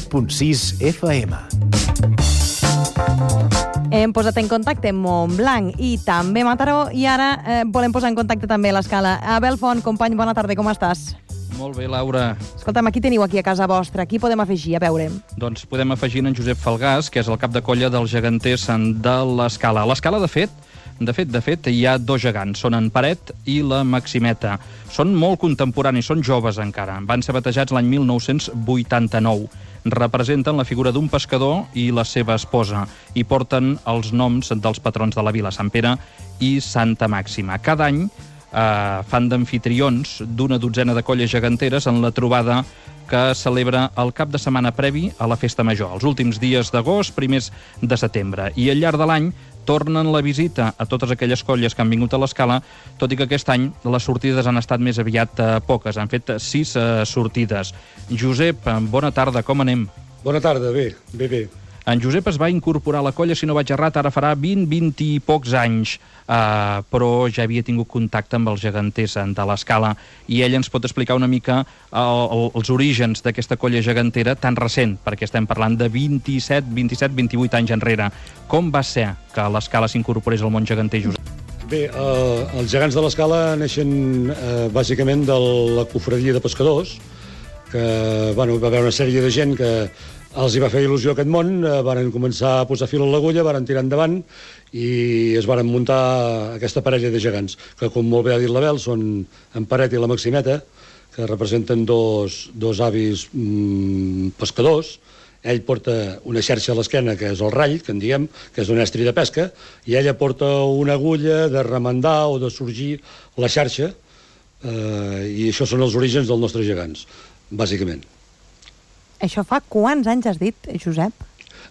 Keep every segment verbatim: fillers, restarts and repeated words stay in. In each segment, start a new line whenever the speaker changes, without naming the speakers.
punt sis F M.
Hem posat en contacte Montblanc i també Mataró i ara eh, volem posar en contacte també l'Escala. Abel Font, company, bona tarda, com estàs?
Molt bé, Laura.
Escolta'm, aquí teniu aquí a casa vostra. Qui podem afegir? A veure.
Doncs podem afegir en Josep Falgàs, que és el cap de colla dels geganters de l'Escala. A l'Escala, de fet, de fet, de fet, hi ha dos gegants. Són en Paret i la Maximeta. Són molt contemporanis, són joves encara. Van ser batejats l'any mil nou-cents vuitanta-nou. Representen la figura d'un pescador i la seva esposa i porten els noms dels patrons de la vila, Sant Pere i Santa Màxima. Cada any eh, fan d'amfitrions d'una dotzena de colles geganteres en la trobada que celebra el cap de setmana previ a la Festa Major, els últims dies d'agost, primers de setembre. I al llarg de l'any tornen la visita a totes aquelles colles que han vingut a l'Escala, tot i que aquest any les sortides han estat més aviat eh, poques. Han fet sis eh, sortides. Josep, bona tarda, com anem?
Bona tarda, bé, bé, bé.
En Josep es va incorporar a la colla, si no vaig errat, ara farà vint, vint i pocs anys, eh, però ja havia tingut contacte amb els geganters de l'Escala i ell ens pot explicar una mica el, el, els orígens d'aquesta colla gegantera tan recent, perquè estem parlant de vint-i-set, vint-i-set, vint-i-vuit anys enrere. Com va ser que l'Escala s'incorporés al món geganter, Josep?
Bé, eh, els gegants de l'Escala neixen eh, bàsicament de la cofradia de pescadors, que bueno, va haver una sèrie de gent que els hi va fer il·lusió aquest món, eh, varen començar a posar fil a l'agulla, varen tirar endavant i es varen muntar aquesta parella de gegants, que com molt bé ha dit l'Abel, són en Paret i la Maximeta, que representen dos, dos avis mm, pescadors. Ell porta una xarxa a l'esquena, que és el rall, que en diem, que és un estri de pesca, i ella porta una agulla de remendar o de sorgir la xarxa, eh, i això són els orígens dels nostres gegants, bàsicament.
Això fa quants anys has dit, Josep?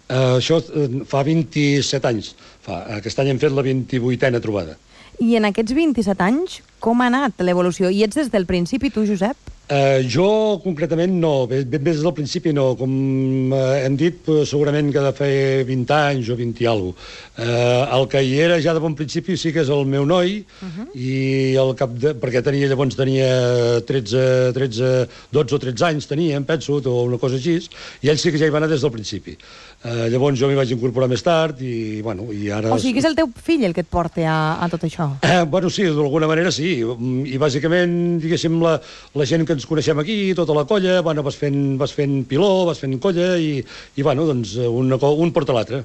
Uh, això uh, fa vint-i-set anys. Fa. Aquest any hem fet la vint-i-vuitena trobada.
I en aquests vint-i-set anys, com ha anat l'evolució? I ets des del principi, tu, Josep?
Uh, jo, concretament, no. Ben bé des del principi, no. Com uh, hem dit, uh, segurament que de fer vint anys o vint i alguna cosa. Uh, el que hi era ja de bon principi sí que és el meu noi, uh-huh. i el cap de... perquè tenia, llavors tenia tretze, tretze, dotze o tretze anys, tenia, em penso, o una cosa així, i ell sí que ja hi va anar des del principi. Uh, llavors jo m'hi vaig incorporar més tard i, bueno, i ara...
O sigui que és el teu fill el que et porta a, a tot això?
Uh, bueno, sí, d'alguna manera sí. I bàsicament, diguéssim, la, la gent que ens coneixem aquí, tota la colla, bueno, vas fent, vas fent piló, vas fent colla i, i bueno, doncs un, un porta l'altre.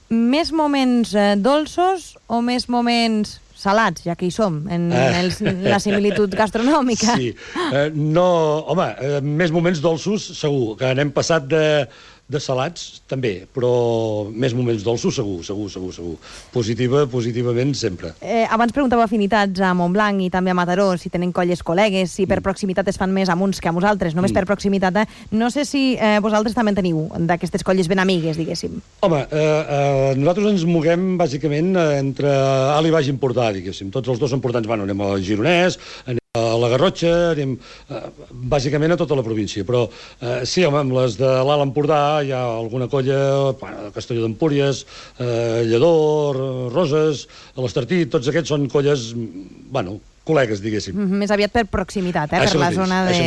Més moments eh, dolços o més moments salats, ja que hi som, en eh. els, la similitud gastronòmica?
Sí. Eh, no, home, eh, més moments dolços, segur, que n'hem passat de, de salats, també, però més moments dolços, segur, segur, segur, segur. Positiva, positivament, sempre.
Eh, abans preguntava afinitats a Montblanc i també a Mataró, si tenen colles col·legues, si per proximitat es fan més amb uns que amb uns altres, només mm. per proximitat. Eh? No sé si eh, vosaltres també en teniu d'aquestes colles ben amigues, diguéssim.
Home, eh, eh, nosaltres ens moguem, bàsicament, entre alt i baix importar, diguéssim. Tots els dos són portants, bueno, anem al Gironès, anem a la Garrotxa, anem eh, bàsicament a tota la província, però eh, sí, home, amb les de l'Alt Empordà hi ha alguna colla, bueno, Castelló d'Empúries, eh, Lledó, Roses, l'Estartit, tots aquests són colles, bueno, col·legues, diguéssim.
Mm-hmm, més aviat per proximitat, eh? Per la zona de,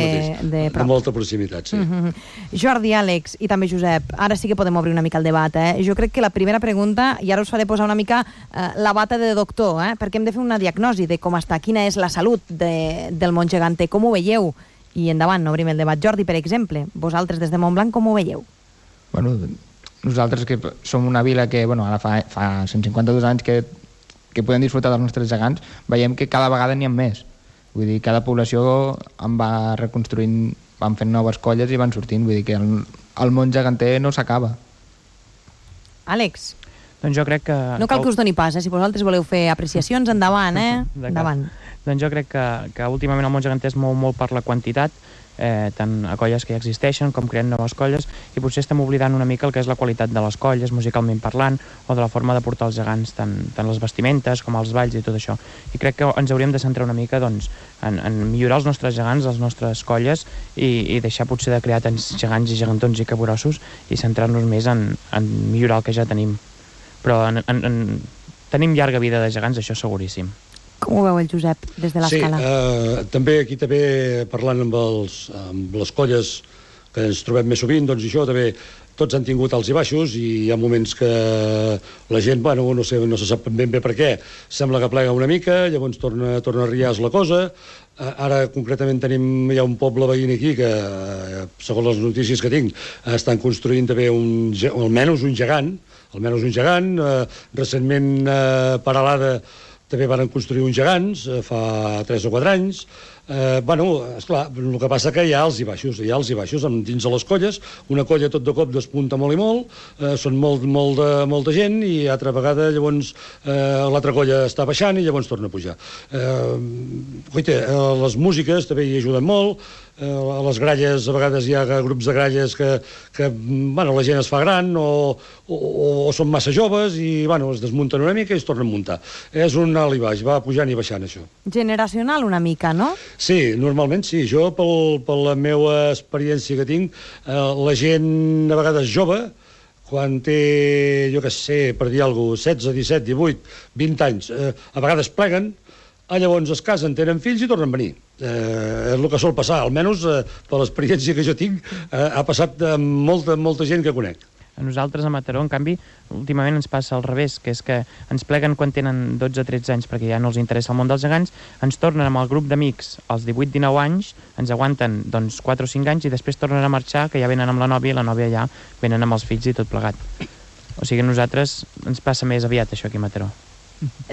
de prop.
De molta proximitat, sí.
Mm-hmm. Jordi, Àlex i també Josep, ara sí que podem obrir una mica el debat, eh? Jo crec que la primera pregunta, i ara us faré posar una mica eh, la bata de doctor, eh? Perquè hem de fer una diagnosi de com està, quina és la salut de, del món geganter, com ho veieu? I endavant, obrim el debat. Jordi, per exemple, vosaltres des de Montblanc com ho veieu?
Bueno, nosaltres que som una vila que, bueno, ara fa, fa cent cinquanta-dos anys que que podem disfrutar dels nostres gegants, veiem que cada vegada n'hi ha més. Vull dir, cada població en va reconstruint, van fent noves colles i van sortint. Vull dir que el, el món geganter no s'acaba.
Àlex?
Doncs jo crec que...
No cal que us doni pas, eh? Si vosaltres voleu fer apreciacions, endavant, eh? Endavant.
Doncs jo crec que, que últimament el món geganter es mou molt per la quantitat, eh, tant a colles que ja existeixen com creant noves colles, i potser estem oblidant una mica el que és la qualitat de les colles, musicalment parlant, o de la forma de portar els gegants, tant, tant les vestimentes com els balls i tot això. I crec que ens hauríem de centrar una mica doncs, en, en millorar els nostres gegants, les nostres colles, i, i deixar potser de crear tants gegants i gegantons i caborossos i centrar-nos més en, en millorar el que ja tenim. Però en, en, en, tenim llarga vida de gegants, això seguríssim.
Com ho veu el Josep, des de l'Escala?
Sí, eh, també aquí també parlant amb, els, amb les colles que ens trobem més sovint, doncs això també tots han tingut alts i baixos i hi ha moments que la gent, bueno, no sé, no se sap ben bé per què, sembla que plega una mica, llavors torna, torna a riar la cosa. Ara concretament tenim, hi ha un poble veí aquí que, segons les notícies que tinc, estan construint també un, almenys un gegant, almenys un gegant, eh, recentment eh, Paralada també van construir uns gegants eh, fa tres o quatre anys. Eh, bueno, esclar, el que passa que hi ha alts i baixos, hi ha alts i baixos dins de les colles, una colla tot de cop despunta molt i molt, eh, són molt, molt de, molta gent i altra vegada llavors eh, l'altra colla està baixant i llavors torna a pujar. Eh, coita, eh, les músiques també hi ajuden molt, eh, a les gralles a vegades hi ha grups de gralles que, que bueno, la gent es fa gran o, o, o són massa joves i bueno, es desmunten una mica i es tornen a muntar. És un alt i baix, va pujant i baixant això.
Generacional una mica, no?
Sí, normalment sí. Jo, pel, per la meva experiència que tinc, eh, la gent a vegades jove, quan té, jo què sé, per dir alguna cosa, setze, disset, divuit, vint anys, eh, a vegades pleguen, ah, llavors es casen, tenen fills i tornen a venir. Eh, és el que sol passar, almenys eh, per l'experiència que jo tinc, eh, ha passat amb molta, molta gent que conec.
A nosaltres a Mataró, en canvi, últimament ens passa al revés, que és que ens pleguen quan tenen dotze o tretze anys perquè ja no els interessa el món dels gegants, ens tornen amb el grup d'amics als divuit o dinou anys, ens aguanten doncs quatre o cinc anys i després tornen a marxar, que ja venen amb la nòvia i la nòvia ja venen amb els fills i tot plegat. O sigui, a nosaltres ens passa més aviat això aquí a Mataró.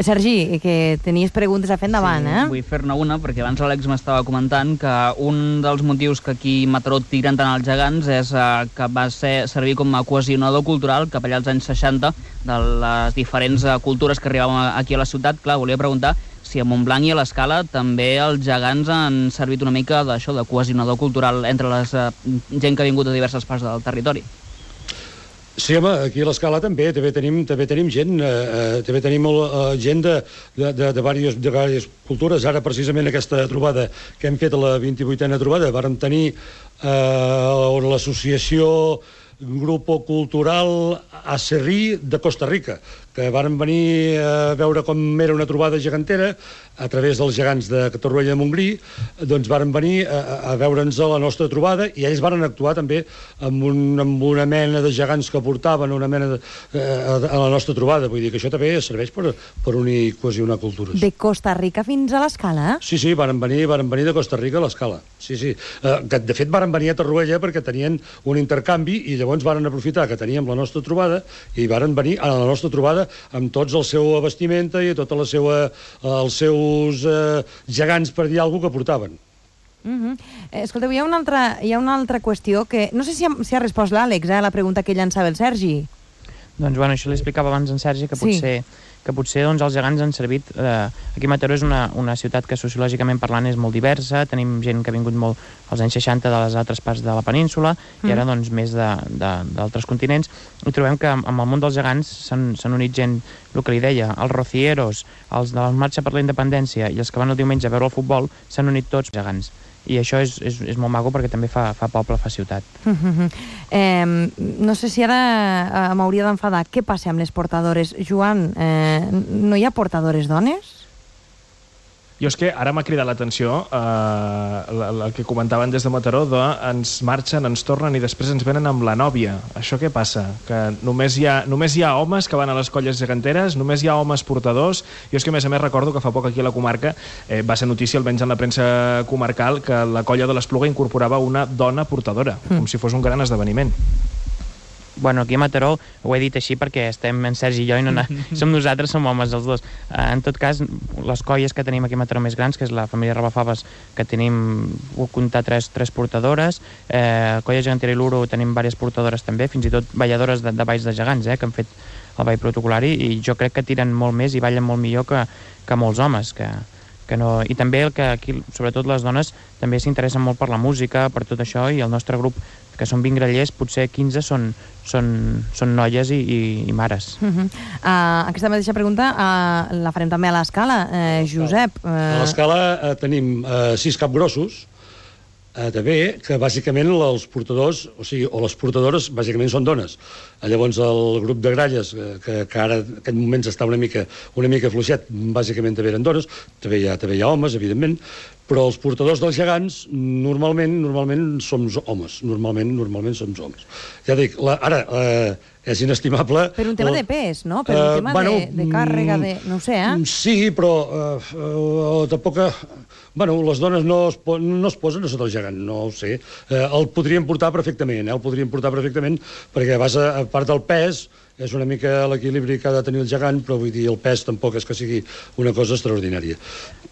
Sergi, que tenies preguntes a fer endavant,
sí,
eh?
Vull fer-ne una, perquè abans l'Àlex m'estava comentant que un dels motius que aquí a Mataró tiren tant els gegants és eh, que va ser, servir com a cohesionador cultural cap allà als anys seixanta de les diferents eh, cultures que arribaven aquí a la ciutat. Clar, volia preguntar si a Montblanc i a l'Escala també els gegants han servit una mica d'això, de cohesionador cultural entre la eh, gent que ha vingut de diverses parts del territori.
Sí, home, aquí a l'Escala també, també tenim, també tenim gent, eh, també tenim eh, gent de, de, de, de, diverses, de diverses cultures. Ara, precisament, aquesta trobada que hem fet a la vint-i-vuitena trobada, vàrem tenir eh, l'associació Grupo Cultural Acerrí de Costa Rica, que varen venir a veure com era una trobada gegantera a través dels gegants de Torroella de Montgrí, doncs varen venir a, a veure'ns a la nostra trobada i ells varen actuar també amb, un, amb una mena de gegants que portaven una mena de, a, a la nostra trobada. Vull dir que això també serveix per, per unir, cohesionar cultures.
De Costa Rica fins a l'Escala?
Sí, sí, varen venir, varen venir de Costa Rica a l'Escala. Sí, sí. Eh, que, de fet, varen venir a Torroella perquè tenien un intercanvi i llavors varen aprofitar que teníem la nostra trobada i varen venir a la nostra trobada amb tots el seu vestimenta i tota la seva, els seus eh, gegants, per dir alguna cosa, que portaven.
Uh-huh. eh, Escolteu, hi ha, una altra, hi ha una altra qüestió que... No sé si ha, si ha respost l'Àlex, eh, la pregunta que llançava el Sergi.
Doncs, bueno, això li explicava abans en Sergi, que potser... Sí. que potser doncs, els gegants han servit... Eh, aquí a Mataró és una, una ciutat que sociològicament parlant és molt diversa, tenim gent que ha vingut molt als anys seixanta de les altres parts de la península mm. i ara doncs, més d'altres continents, i trobem que amb el món dels gegants s'han unit gent, el que li deia, els rocieros, els de la Marxa per la Independència i els que van el diumenge a veure el futbol, s'han unit tots gegants. I això és, és, és molt maco perquè també fa, fa poble, fa ciutat.
Uh-huh. eh, no sé si ara eh, m'hauria d'enfadar. Què passa amb les portadores? Joan, eh, no hi ha portadores dones?
Jo és que ara m'ha cridat l'atenció eh, el que comentaven des de Mataró, de ens marxen, ens tornen i després ens venen amb la nòvia. Això què passa? Que només hi ha, només hi ha homes que van a les colles geganteres, només hi ha homes portadors. Jo és que a més a més recordo que fa poc aquí a la comarca eh, va ser notícia, almenys en la premsa comarcal, que la colla de l'Espluga incorporava una dona portadora, mm. com si fos un gran esdeveniment.
Bueno, aquí a Mataró ho he dit així perquè estem en Sergi i jo i no som nosaltres, som homes els dos. En tot cas, les colles que tenim aquí a Mataró més grans, que és la família Rabafaves, que tenim, ho comptar, tres, tres portadores, eh, colla gegantera i l'Uro tenim diverses portadores també, fins i tot balladores de, de balls de gegants, eh, que han fet el ball protocolari, i jo crec que tiren molt més i ballen molt millor que, que molts homes, que, que no... I també el que aquí, sobretot les dones, també s'interessen molt per la música, per tot això, i el nostre grup, que són vint grallers, potser quinze són, són, són noies i, i, i mares. Uh-huh.
uh, aquesta mateixa pregunta uh, la farem també a l'Escala. Uh, Josep... Uh...
A l'Escala uh, tenim uh, sis capgrossos, uh, també, que bàsicament els portadors, o sigui, o les portadores, bàsicament són dones. Uh, llavors el grup de gralles, uh, que, que ara en aquest moment està una mica, una mica fluixet, bàsicament també eren dones, també hi ha, també hi ha homes, evidentment, però els portadors dels gegants normalment normalment som homes, normalment normalment som homes. Ja dic, la, ara eh, és inestimable...
Per un tema
la,
de pes, no? Per un uh, tema bueno, de, de càrrega, de... no ho sé, eh?
Sí, però eh, uh, tampoc... Bueno, les dones no es, po no es posen a sota el gegant, no ho sé. Eh, el podrien portar perfectament, eh? El podrien portar perfectament, perquè a, base, a part del pes, és una mica l'equilibri que ha de tenir el gegant, però vull dir, el pes tampoc és que sigui una cosa extraordinària.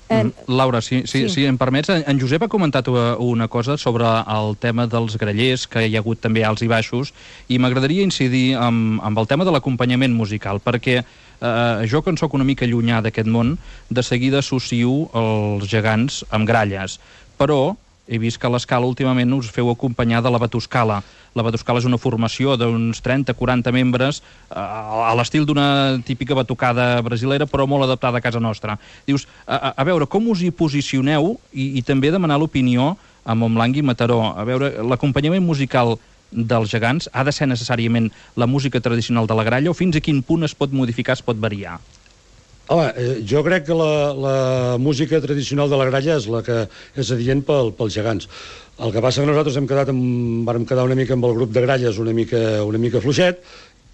Eh, Laura, si, si, sí. si em permets, en Josep ha comentat una cosa sobre el tema dels grallers, que hi ha hagut també alts i baixos, i m'agradaria incidir amb, amb el tema de l'acompanyament musical, perquè eh, jo, que en soc una mica llunyà d'aquest món, de seguida associo els gegants amb gralles, però he vist que a l'Escala últimament us feu acompanyar de la Batuscala. La Batuscala és una formació d'uns trenta a quaranta membres eh, a l'estil d'una típica batucada brasilera, però molt adaptada a casa nostra. Dius, a, a veure, com us hi posicioneu i, i també demanar l'opinió a Montblanc i Mataró. A veure, l'acompanyament musical dels gegants ha de ser necessàriament la música tradicional de la gralla o fins a quin punt es pot modificar, es pot variar?
Home, eh, jo crec que la, la música tradicional de la gralla és la que és adient pel, pels gegants. El que passa que nosaltres hem quedat amb, vàrem quedar una mica amb el grup de gralles una mica, una mica fluixet,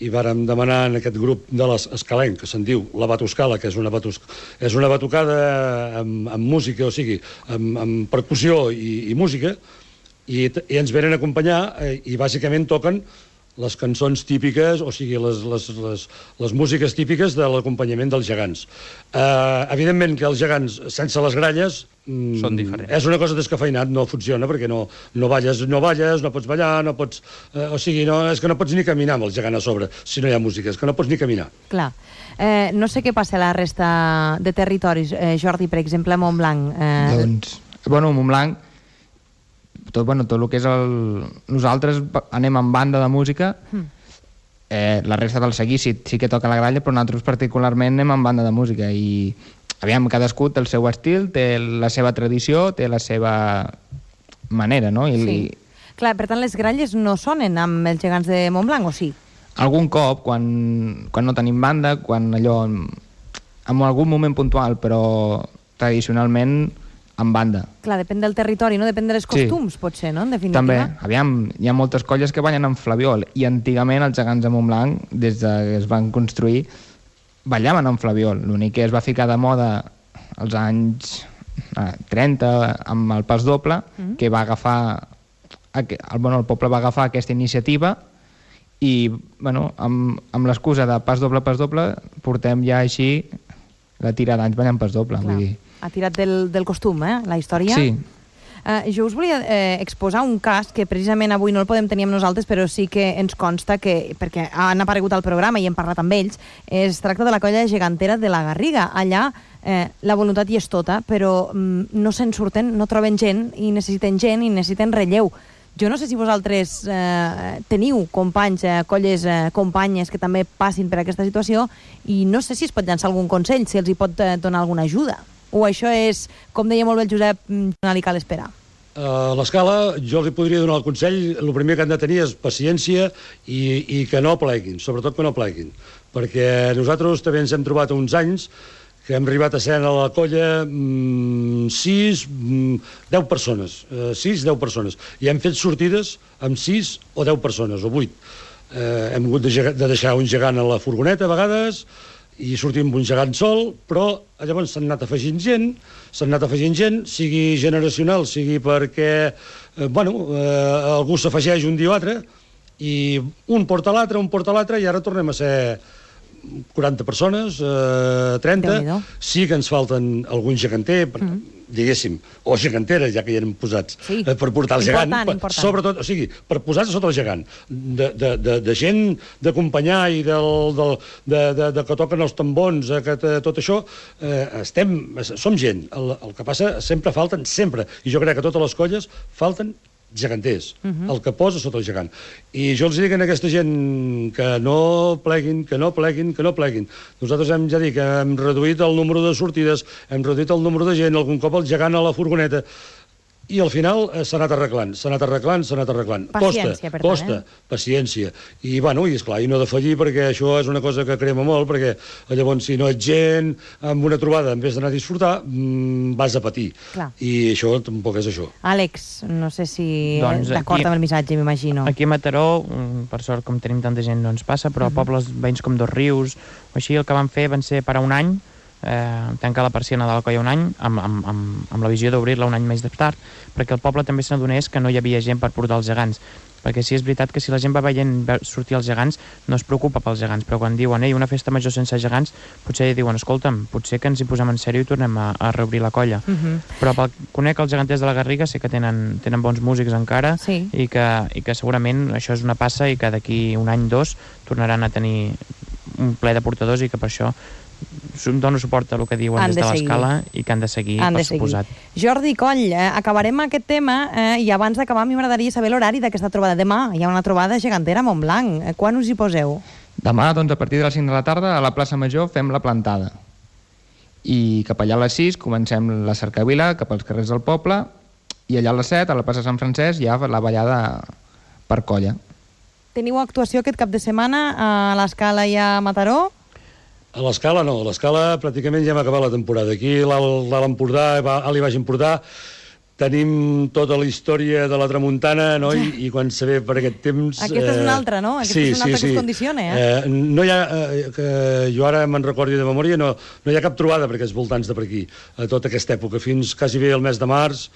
i vàrem demanar en aquest grup de l'escalenc, que se'n diu la Batuscala, que és una, batus, és una batucada amb, amb música, o sigui, amb, amb percussió i, i música, i, i ens venen a acompanyar eh, i bàsicament toquen les cançons típiques, o sigui, les, les, les, les músiques típiques de l'acompanyament dels gegants. Uh, evidentment que els gegants, sense les gralles, mm,
són diferents.
És una cosa descafeinat, no funciona, perquè no, no balles, no balles, no pots ballar, no pots... Uh, o sigui, no, és que no pots ni caminar amb el gegant a sobre, si no hi ha música, és que no pots ni caminar.
Clar. Eh, no sé què passa a la resta de territoris. Eh, Jordi, per exemple, a Montblanc. Eh...
Doncs, bueno, Montblanc, tot, bueno, tot el que és el... Nosaltres anem en banda de música, mm. eh, la resta del seguí sí, sí que toca la gralla, però nosaltres particularment anem en banda de música i, aviam, cadascú té el seu estil, té la seva tradició, té la seva manera, no? I,
sí. I... Clar, per tant, les gralles no sonen amb els gegants de Montblanc, o sí?
Algun cop, quan, quan no tenim banda, quan allò... En algun moment puntual, però tradicionalment en banda.
Clar, depèn del territori, no? Depèn de les costums, sí. Potser, no? En definitiva.
També, aviam, hi ha moltes colles que ballen amb flabiol, i antigament els gegants de Montblanc, des que es van construir, ballaven amb flabiol. L'únic que es va ficar de moda als anys eh, trenta, amb el pas doble, mm. que va agafar... El, bueno, el poble va agafar aquesta iniciativa i, bueno, amb, amb l'excusa de pas doble, pas doble, portem ja així la tira d'anys ballant pas doble. Vull dir.
Ha tirat del, del costum, eh, la història.
Sí.
Uh, jo us volia eh, exposar un cas que precisament avui no el podem tenir amb nosaltres, però sí que ens consta que, perquè han aparegut al programa i hem parlat amb ells, es tracta de la colla gegantera de la Garriga. Allà eh, la voluntat hi és tota, però mm, no se'n surten, no troben gent i necessiten gent i necessiten relleu. Jo no sé si vosaltres eh, teniu companys, eh, colles, eh, companyes que també passin per aquesta situació i no sé si es pot llançar algun consell, si els hi pot eh, donar alguna ajuda. O això és, com deia molt bé el Josep, no li cal esperar?
A l'escala jo li podria donar el consell, el primer que han de tenir és paciència i, i que no pleguin, sobretot que no pleguin, perquè nosaltres també ens hem trobat uns anys que hem arribat a ser a la colla mmm, sis, mmm, deu persones, eh, sis, deu persones, i hem fet sortides amb sis o deu persones, o vuit. Eh, hem hagut de, de deixar un gegant a la furgoneta a vegades, i sortim amb un gegant sol, però llavors s'han anat afegint gent, s'han anat afegint gent, sigui generacional, sigui perquè, eh, bueno, eh, algú s'afegeix un dia o altre, i un porta l'altre, un porta l'altre, i ara tornem a ser quaranta persones, eh, trenta, sí que ens falten algun geganter, per, mm. diguéssim, o geganteres, ja que hi eren posats, sí. eh, per portar el gegant, important, important. Sobretot, o sigui, per posar-se sota el gegant, de, de, de, de gent d'acompanyar i del, del, de, de, de que toquen els tambons, eh, que tot això, eh, estem, som gent. El, el que passa, sempre falten, sempre, i jo crec que totes les colles falten geganters, uh-huh. el que posa sota el gegant. I jo els dic a aquesta gent que no pleguin, que no pleguin, que no pleguin. Nosaltres hem, ja dic, hem reduït el número de sortides, hem reduït el número de gent, algun cop el gegant a la furgoneta. i al final eh, s'ha anat arreglant, s'ha anat arreglant, s'ha anat arreglant.
Paciència,
costa,
per tant,
costa,
eh?
paciència. I, bueno, i esclar, i no defallir, perquè això és una cosa que crema molt, perquè llavors, si no ets gent, amb una trobada, en vez d'anar a disfrutar, mmm, vas a patir.
Clar.
I això tampoc és això.
Àlex, no sé si
Doncs
d'acord
aquí-
amb el missatge, m'imagino.
Aquí a Mataró, mm, per sort, com tenim tanta gent, no ens passa, però a pobles veïns com Dos Rius o així, el que van fer van ser parar un any, eh, tancar la persiana de la colla un any, amb, amb, amb, amb la visió d'obrir-la un any més tard, perquè el poble també se n'adonés que no hi havia gent per portar els gegants. Perquè sí, és veritat que si la gent va veient sortir els gegants, no es preocupa pels gegants, però quan diuen, ei, una festa major sense gegants, potser diuen, escolta'm, potser que ens hi posem en sèrio i tornem a, a reobrir la colla.
Uh -huh.
Però pel, conec els geganters de la Garriga, sé que tenen, tenen bons músics encara,
Sí.
i, que, i que segurament això és una passa i que d'aquí un any, dos, tornaran a tenir un ple de portadors i que per això dono suport a el que diuen
Han
des
de
de
seguir.
l'escala i que han de seguir,
Han
per
de seguir.
suposat.
Jordi Coll, eh, acabarem aquest tema eh, i abans d'acabar a mi m'agradaria saber l'horari d'aquesta trobada. Demà hi ha una trobada gegantera a Montblanc. Eh, quan us hi poseu?
Demà, doncs, a partir de les cinc de la tarda, a la plaça Major fem la plantada. I cap allà a les sis comencem la cercavila cap als carrers del poble i allà a les set, a la plaça Sant Francesc, hi ha la ballada per colla.
Teniu actuació aquest cap de setmana a l'Escala i a Mataró?
A l'Escala no, a l'Escala pràcticament ja hem acabat la temporada. Aquí a l'Alt Empordà, a l'Baix Empordà, tenim tota la història de la tramuntana, no? I, i quan se ve per aquest temps...
Aquesta és una altra, no? Aquesta
sí,
és una altra
sí,
que
sí.
us condiciona, eh?
eh? No hi ha, eh, que jo ara me'n recordi de memòria, no, no hi ha cap trobada per aquests voltants de per aquí, a tota aquesta època. Fins quasi bé el mes de març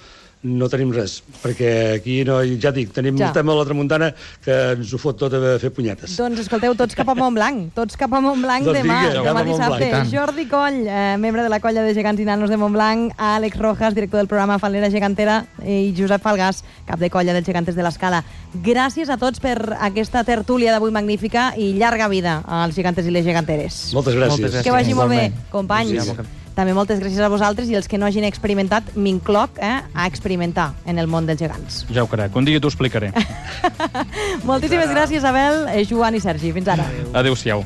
no tenim res, perquè aquí, no, ja dic, tenim
Ja.
un tema de la tramuntana que ens ho fot tot a fer punyetes.
Doncs escolteu, tots cap a Montblanc, tots cap a Montblanc
Doncs
demà,
vinga, cap
demà
a Montblanc.
dissabte. Jordi Coll, eh, membre de la colla de gegants i nanos de Montblanc, Àlex Rojas, director del programa Falera Gegantera, i Josep Falgàs, cap de colla dels gegantes de l'Escala. Gràcies a tots per aquesta tertúlia d'avui magnífica i llarga vida als gegantes i les geganteres.
Moltes gràcies.
Moltes gràcies.
Que vagi molt bé,
Igualment.
companys.
Sí.
També moltes gràcies a vosaltres i els que no hagin experimentat, m'incloc eh, a experimentar en el món dels gegants.
Ja ho crec, un dia t'ho explicaré.
Moltíssimes gràcies, Abel, eh, Joan i Sergi. Fins ara.
Adéu-siau.